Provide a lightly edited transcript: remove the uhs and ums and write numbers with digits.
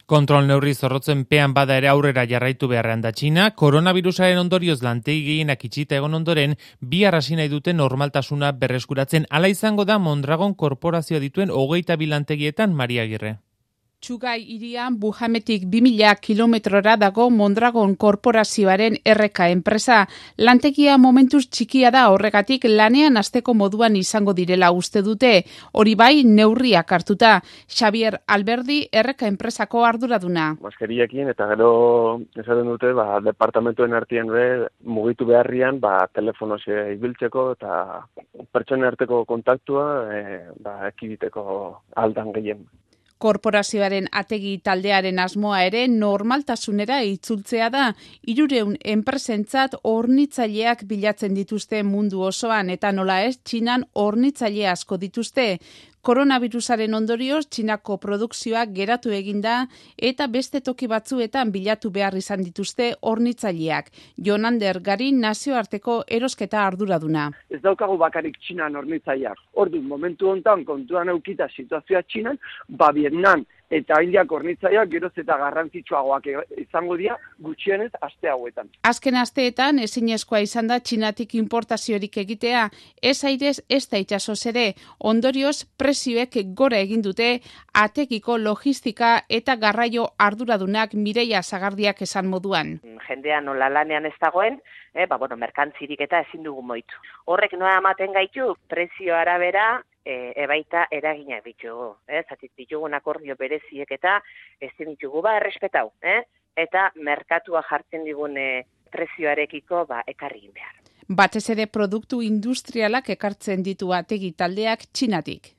Kontrol neurri zorrotzen pean bada ere aurrera jarraitu beharrean da Txina, koronavirusaren ondorioz lantegi gehienak itxita egon ondoren, bihar hasi nahi duten normaltasuna berreskuratzen. Hala izango da Mondragon korporazioa dituen 22 lantegietan, Maria Agirre. Txugai hirian Bujametik 2000 kilometrora dago Mondragon korporazioaren RK enpresa. Lantegia momentuz txikia da, horregatik lanean hasteko moduan izango direla uste dute. Hori bai, neurriak hartuta. Xavier Alberdi RK enpresako arduraduna. Maskeriekin eta gero esaten dute, departamentuen artean mugitu beharrian, telefonoz ibiltzeko eta pertsonen arteko kontaktua ekiditeko aldan gehien. Korporazioaren ategi taldearen asmoa ere normaltasunera itzultzea da. 300 enpresentzat hornitzaileak bilatzen dituzte mundu osoan eta nola ez, Txinan hornitzaile asko dituzte. Koronavirusaren ondorioz, Txinako produkzioa geratu eginda eta beste toki batzuetan bilatu behar izan dituzte hornitzaileak. Jonander Garin nazioarteko erosketa arduraduna. Ez daukagu bakarik Txinan hornitzaileak. Orduan, momentu hontan kontuan eukita situazioa Txinan, Vietnam eta Indiak hornitzaileak geroz eta garrantzitsuagoak izango dira gutxienez aste hauetan. Azken asteetan ezinezkoa izan da Txinatik importaziorik egitea, ez airez ez da itsasoz ere. Ondorioz prezioek gora egin dute atekiko logistika eta garraio arduradunak Mireia Sagardiak esan moduan. Jendea nola lanean ez dagoen, merkantzirik eta ezin dugu moitu. Horrek noa ematen gaitu prezio arabera ebaita eraginak ditugu. Zatik ditugun akordio bereziek eta ezin ditugu errespetau. Eta merkatua jartzen digun prezioarekiko ekarri behar. Batez ere produktu industrialak ekartzen ditu ategi taldeak Txinatik.